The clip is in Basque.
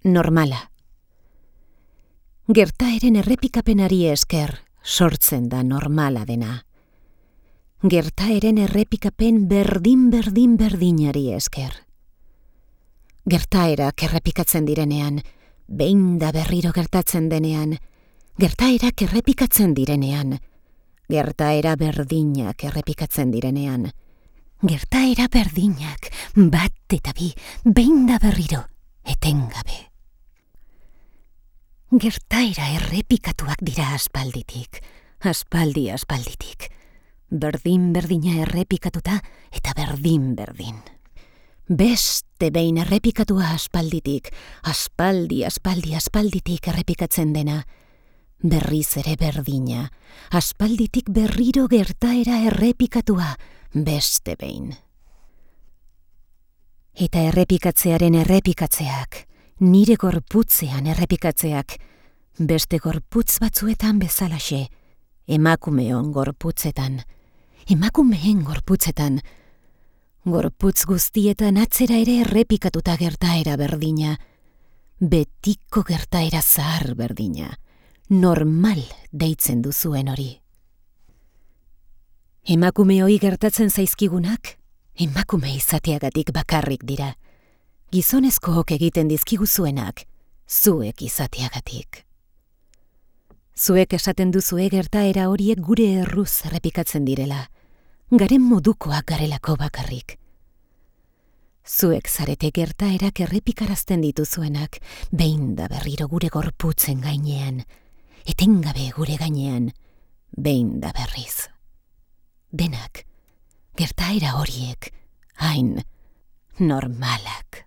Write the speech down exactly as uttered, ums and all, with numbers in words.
Normala. Gertaeren errepikapenari esker sortzen da normala dena. Gertaeren errepikapen berdin-berdin berdinari esker. Gertaerak errepikatzen direnean, behin da berriro gertatzen denean, gertaerak errepikatzen direnean, gertaera berdinak errepikatzen direnean, gertaera berdinak bat eta bi, behin da berriro, etengabe. Gertaera errepikatuak dira aspalditik, aspaldi aspalditik, berdin-berdina errepikatuta eta berdin-berdin. Beste behin errepikatua aspalditik, aspaldi, aspaldi, aspalditik errepikatzen dena, berriz ere berdina, aspalditik berriro gertaera errepikatua, beste behin. Eta errepikatzearen errepikatzeak, nire gorputzean errepikatzeak, beste gorputz batzuetan bezalaxe, emakumeon gorputzetan, emakumeen gorputzetan, gorputz guztietan atzera ere errepikatuta gertaera berdina, betiko gertaera zahar berdina, normal deitzen duzuen hori. Emakumeoi gertatzen zaizkigunak, emakume izateagatik bakarrik dira, gizonezkook egiten dizkiguzuenak, zuek izateagatik. Zuek esaten duzue gertaera horiek gure erruz errepikatzen direla, garen modukoak garelako bakarrik. Zuek zarete gertaerak errepikarazten dituzuenak, behin da berriro gure gorputzen gainean, etengabe gure gainean, behin da berriz. Denak, gertaera horiek, hain normalak.